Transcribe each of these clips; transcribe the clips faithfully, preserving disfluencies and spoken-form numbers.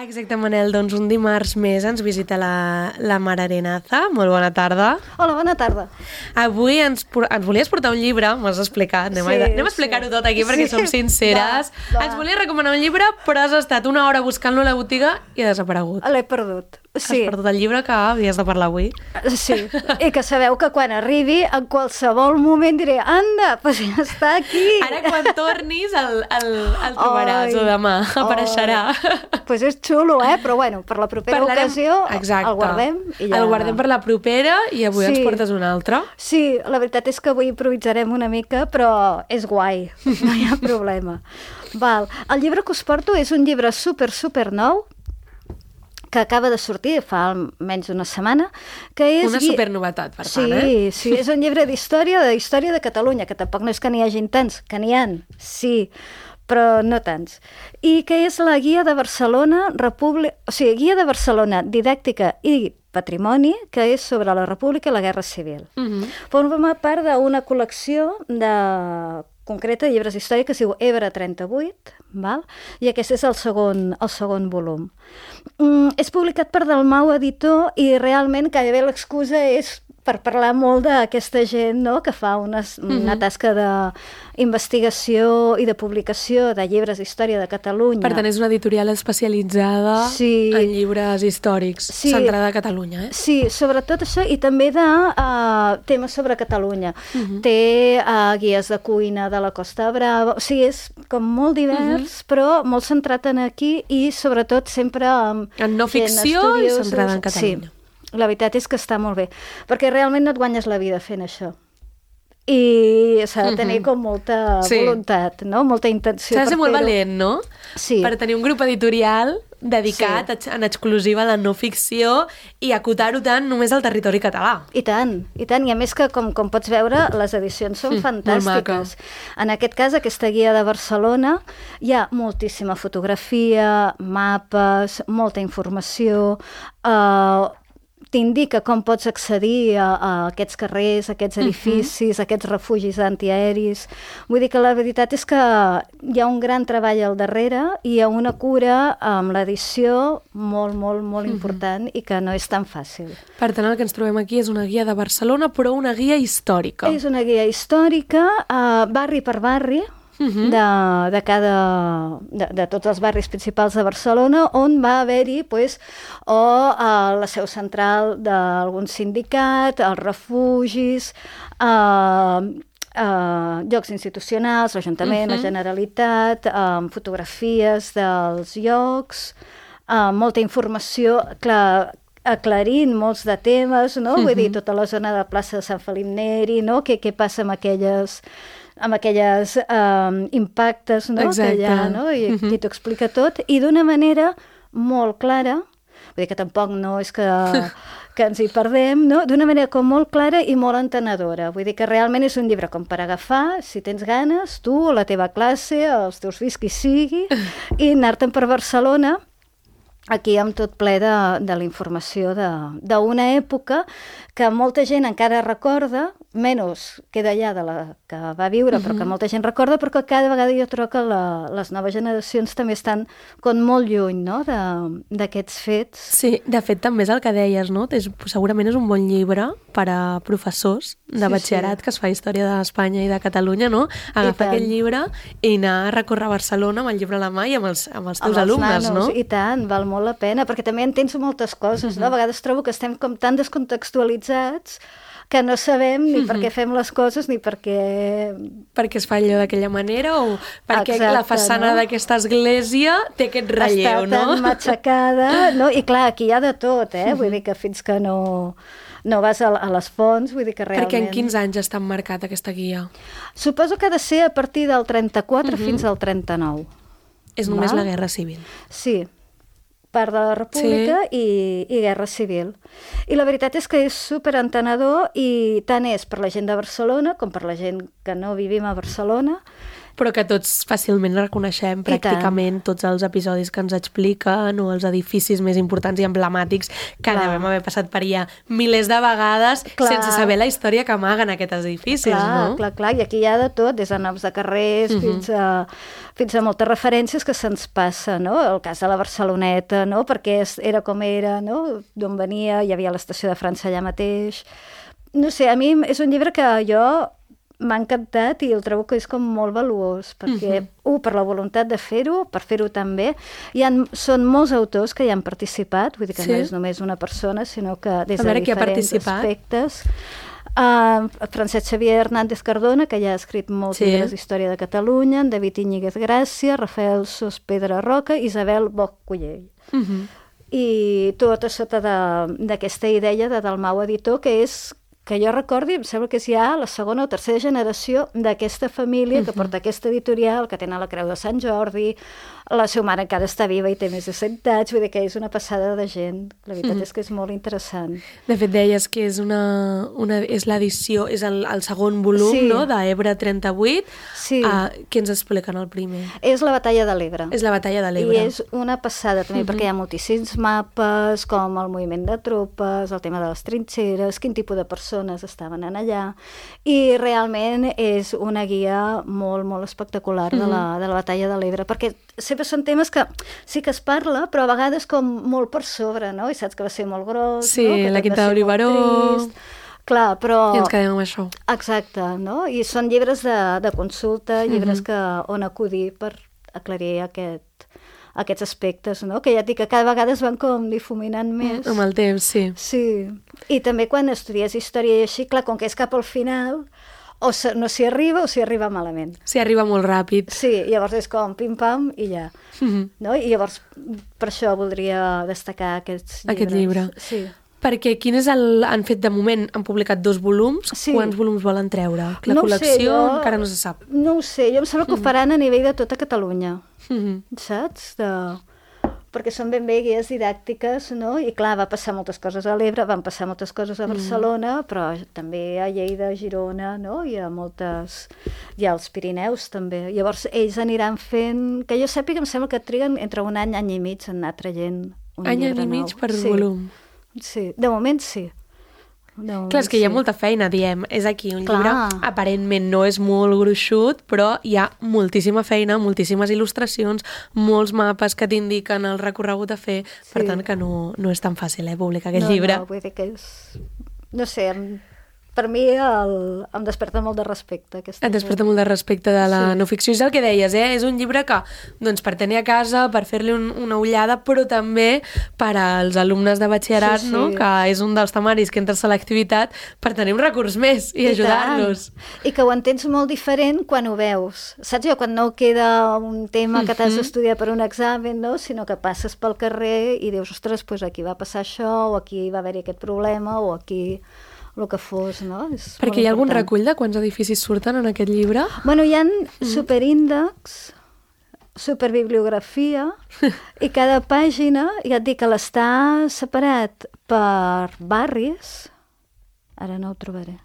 Exacte, Manel. Doncs un dimarts més ens visita la, la Mar Arenaza. Molt bona tarda. Hola, bona tarda. Avui ens, ens volies portar un llibre, m'has explicat. Anem, sí, a, anem a explicar-ho sí. tot aquí perquè sí. som sinceres. Va, va. Ens volia recomanar un llibre, però has estat una hora buscant-lo a la botiga i ha desaparegut. L'he perdut. Sí. Has perdut el llibre que havies de parlar avui. Sí, i que sabeu que quan arribi, en qualsevol moment diré, anda, doncs ja està aquí. Ara quan tornis el, el, el trobaràs, oi, o demà apareixerà. Doncs pues és xulo, eh? Però bueno, per la propera Parlarem... ocasió Exacte. el guardem. I ja... El guardem per la propera i avui sí. ens portes un altre. Sí, la veritat és que avui improvisarem una mica, però és guai, no hi ha problema. Val. El llibre que us porto és un llibre super, super nou, que acaba de sortir fa almenys una setmana, que és... Una supernovetat, per sí, tant, eh? Sí, és un llibre d'història, de història de Catalunya, que tampoc no és que n'hi hagin tants, que n'hi ha, sí, però no tants. I que és la Guia de Barcelona, República... O sigui, Guia de Barcelona, Didàctica i Patrimoni, que és sobre la República i la Guerra Civil. Uh-huh. Forma part d'una col·lecció de... concreta de llibres d'història que es diu Ebre trenta-vuit, val? I aquest és el segon, el segon volum. Mm, és publicat per Dalmau Editor i realment gairebé l'excusa és per parlar molt d'aquesta gent, no?, que fa una, una tasca d'investigació i de publicació de llibres d'història de Catalunya. Per tant, és una editorial especialitzada sí. en llibres històrics, sí. centrada a Catalunya, eh? Sí, sobretot això, i també de uh, temes sobre Catalunya. Uh-huh. Té uh, guies de cuina de la Costa Brava, o sigui, és com molt divers, uh-huh. però molt centrat en aquí i sobretot sempre amb en no ficció i centrada en Catalunya. Sí. La veritat és que està molt bé, perquè realment no et guanyes la vida fent això. I s'ha de tenir uh-huh. com molta sí. voluntat, no? Molta intenció. S'ha de ser molt valent, no? Sí. Per tenir un grup editorial dedicat sí. en exclusiva a la no ficció i acotar-ho tant només al territori català. I tant, i tant. I a més que, com, com pots veure, les edicions són mm, fantàstiques. En aquest cas, aquesta guia de Barcelona, hi ha moltíssima fotografia, mapes, molta informació, eh, t'indica com pots accedir a, a aquests carrers, a aquests edificis, uh-huh. a aquests refugis antiaeris. Vull dir que la veritat és que hi ha un gran treball al darrere i hi ha una cura amb l'edició molt, molt, molt uh-huh. important i que no és tan fàcil. Per tant, el que ens trobem aquí és una guia de Barcelona, però una guia històrica. És una guia històrica, uh, barri per barri, Uh-huh. de, de cada de, de tots els barris principals de Barcelona, on va haver-hi pues, o uh, la seu central d'algun sindicat, els refugis, uh, uh, llocs institucionals, l'Ajuntament, uh-huh. la Generalitat, uh, fotografies dels llocs, uh, molta informació, clar, aclarint molts de temes, no? Uh-huh. Vull dir, tota la zona de plaça de Sant Felip Neri, no? Què, què passa amb aquelles amb aquelles um, impactes, no? Que hi ha, no? I, uh-huh. i t'ho explica tot, i d'una manera molt clara, vull dir que tampoc no és que, que ens hi perdem, no? D'una manera com molt clara i molt entenedora. Vull dir que realment és un llibre com per agafar, si tens ganes, tu, la teva classe, els teus fills, qui sigui, i anar-te'n per Barcelona, aquí amb tot ple de, de la informació d'una època que molta gent encara recorda, menys queda allà de la que va viure, uh-huh. però que molta gent recorda, però que cada vegada jo trobo que la, les noves generacions també estan com molt lluny, no?, d'aquests fets. Sí, de fet també és el que deies, no? És, segurament és un bon llibre per a professors de sí, batxillerat sí. que es fa història d'Espanya i de Catalunya, no? Agafar aquest llibre i anar a recórrer Barcelona amb el llibre a la mà i amb els, amb els teus amb alumnes, els nanos, no? I tant, val molt la pena, perquè també entens moltes coses, uh-huh. no? A vegades trobo que estem com tan descontextualitzats que no sabem ni uh-huh. per què fem les coses ni per què... Perquè es fa allò d'aquella manera o perquè Exacte, la façana no? d'aquesta església té aquest relleu, Està no? tan matxacada, no? I clar, aquí hi ha de tot, eh? Uh-huh. Vull dir que fins que no, no vas a, a les fonts, vull dir que realment... Perquè en quins anys està emmarcat aquesta guia? Suposo que ha de ser a partir del trenta-quatre uh-huh. fins al trenta-nou. És només Va? La Guerra Civil. Sí, part de la República sí. i, i Guerra Civil. I la veritat és que és superentenedor i tant és per la gent de Barcelona com per la gent que no vivim a Barcelona. però que tots fàcilment reconeixem pràcticament tots els episodis que ens expliquen o els edificis més importants i emblemàtics que clar. Devem haver passat per allà milers de vegades clar. Sense saber la història que amaguen aquests edificis, clar, no? Clar, clar, i aquí hi ha de tot, des de noms de carrers uh-huh. fins, a, fins a moltes referències que se'ns passa, no? El cas de la Barceloneta, no? Perquè era com era, no? D'on venia, hi havia l'estació de França allà mateix. No sé, a mi és un llibre que jo m'ha encantat i el trobo que és com molt valuós, perquè, uh-huh. un, per la voluntat de fer-ho, per fer-ho també. Hi ha, són molts autors que hi han participat, vull dir que sí. no és només una persona, sinó que des de diferents aspectes. Uh, Francesc Xavier Hernández Cardona, que ja ha escrit molts sí. llibres d'història de Catalunya, David Íñiguez Gràcia, Rafael Sos Pedra Roca, Isabel Boc Cullell. Uh-huh. I tot a sota d'aquesta idea de Dalmau Editor, que és que jo recordi, em sembla que és ja la segona o tercera generació d'aquesta família que porta aquesta editorial, que tenen la Creu de Sant Jordi, la seva mare encara està viva i té més de cent anys, vull dir que és una passada de gent. La veritat mm. és que és molt interessant. De fet, deies que és una, una és l'edició, és el, el segon volum, sí. no?, d'Ebre trenta-vuit. Sí. Uh, què ens expliquen el primer? És la Batalla de l'Ebre. És la Batalla de l'Ebre. I és una passada també, mm-hmm. perquè hi ha moltíssims mapes, com el moviment de tropes, el tema de les trinxeres, quin tipus de persones estaven en allà, i realment és una guia molt, molt espectacular de la, de la Batalla de l'Ebre, perquè sempre són temes que sí que es parla, però a vegades com molt per sobre, no? I saps que va ser molt gros, sí, no? Que la Quinta d'Olivaró. Clar, però... I ens quedem amb això. Exacte, no? I són llibres de, de consulta, llibres mm-hmm. que, on acudir per aclarir aquest, aquests aspectes, no? Que ja et dic que cada vegada es van com difuminant més. Amb el temps, sí. Sí. I també quan estudies història i així, clar, com que és cap al final, o no s'hi arriba o s'hi arriba malament. S'hi arriba molt ràpid. Sí, llavors és com pim-pam i ja. Mm-hmm. No? I llavors per això voldria destacar aquests llibres. Aquest llibre. Sí. Perquè quin és el... Han fet de moment, han publicat dos volums. Sí. Quants volums volen treure? La no col·lecció sé, jo... encara no se sap. No ho sé, jo em sembla que ho faran a nivell de tota Catalunya. Mm-hmm. Saps? De... perquè són ben bé guies didàctiques, no? I clar, va passar moltes coses a l'Ebre, van passar moltes coses a Barcelona, mm. però també a Lleida, a Girona, no? I a moltes... I als Pirineus, també. Llavors, ells aniran fent... Que jo sàpiga, em sembla que triguen entre un any, any i mig, en anar traient un any llibre nou. Any i mig per sí. volum. Sí, de moment sí. No, clar, és que hi ha molta feina, diem. És aquí un clar. Llibre, aparentment no és molt gruixut, però hi ha moltíssima feina, moltíssimes il·lustracions, molts mapes que t'indiquen el recorregut a fer, sí. Per tant que no, no és tan fàcil, eh, publicar aquest no, llibre. No, vull dir que és... No sé, per mi el... em desperta molt de respecte. Aquesta Et desperta molt de respecte de la sí. no ficció. És el que deies, eh? És un llibre que, doncs, per tenir a casa, per fer-li un, una ullada, però també per als alumnes de batxillerat, sí, sí. no? Que és un dels temaris que entra a l'activitat, per tenir un recurs més i, I ajudar-los. Tant. I que ho entens molt diferent quan ho veus. Saps jo? Quan no queda un tema que t'has d'estudiar per un examen, no? Sinó que passes pel carrer i dius, ostres, doncs aquí va passar això, o aquí va haver-hi aquest problema, o aquí... el que fos, no? És perquè hi ha algun recull de quants edificis surten en aquest llibre? Bueno, hi ha mm. superíndexs, superbibliografia, i cada pàgina, ja et dic que l'està separat per barris, ara no ho trobaré.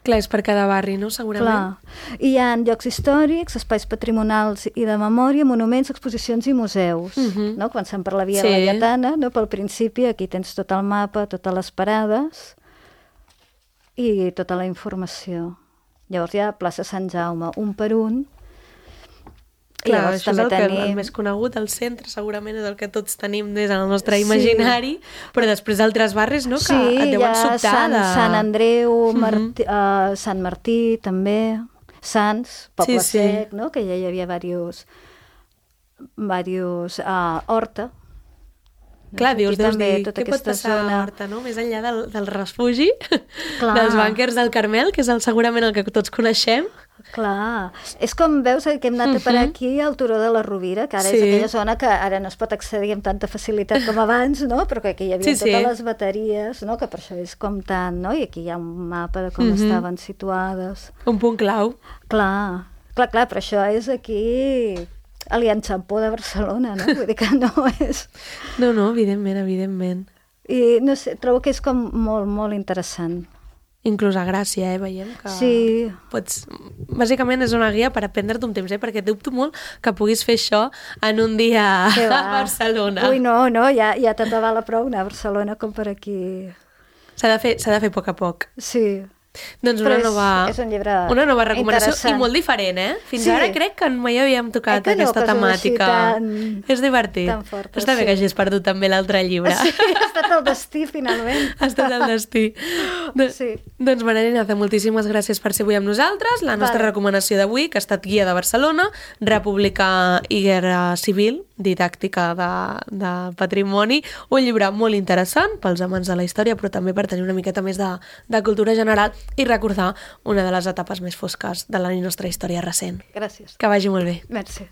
Clar, és per cada barri, no? Segurament. Clar. I hi ha llocs històrics, espais patrimonials i de memòria, monuments, exposicions i museus. Uh-huh. No? Començant per la Via sí. Laietana, no? Pel principi, aquí tens tot el mapa, totes les parades... i tota la informació. Llavors hi ha plaça Sant Jaume, un per un. Clar, això és el, tenim... que, el més conegut, el centre segurament és el que tots tenim des del nostre imaginari, sí. però després altres barris, no?, que sí, et deuen sobtar. Sí, Sant, Sant Andreu, Martí, uh-huh. uh, Sant Martí, també, Sants, Poble sí, sí. Sec, no?, que ja hi havia diversos, diversos uh, Horta. Clar, dius, deus dir, què pot passar zona... a Horta, no? Més enllà del, del refugi, clar. Dels bànquers del Carmel, que és el, segurament el que tots coneixem. Clar, és com veus que hem anat uh-huh. a parar aquí al Turó de la Rovira, que ara sí. és aquella zona que ara no es pot accedir amb tanta facilitat com abans, no? Però que aquí hi havia sí, totes sí. les bateries, no? Que per això és com tant, no? I aquí hi ha un mapa de com uh-huh. estaven situades. Un punt clau. Clar, clar, clar, però això és aquí... a l'Enxampó de Barcelona, no? Vull dir que no és... No, no, evidentment, evidentment. I no sé, trobo que és com molt, molt interessant. inclús a Gràcia, eh? Veiem que Sí. pots... Bàsicament és una guia per aprendre't un temps, eh? Perquè dubto molt que puguis fer això en un dia Que a va. Barcelona. Ui, no, no, ja, ja te val a prou anar a Barcelona com per aquí. S'ha de fer, s'ha de fer a poc a poc. Sí. Doncs Però una és- nova, és un llibre una nova recomanació interessant. i molt diferent, eh? Fins Sí. ara crec que mai havíem tocat Eh que no, aquesta coses així temàtica. tan- És divertit. tan fortes, Està bé sí. que hagis perdut també l'altre llibre. Sí, ha estat el destí, finalment. Ha estat el destí. Do Sí. Doncs, Maria, moltíssimes gràcies per ser avui amb nosaltres. La nostra Vale. recomanació d'avui, que ha estat Guia de Barcelona, República i Guerra Civil, didàctica de, de patrimoni, un llibre molt interessant pels amants de la història, però també per tenir una miqueta més de, de cultura general i recordar una de les etapes més fosques de la nostra història recent. Gràcies. Que vagi molt bé. Merci.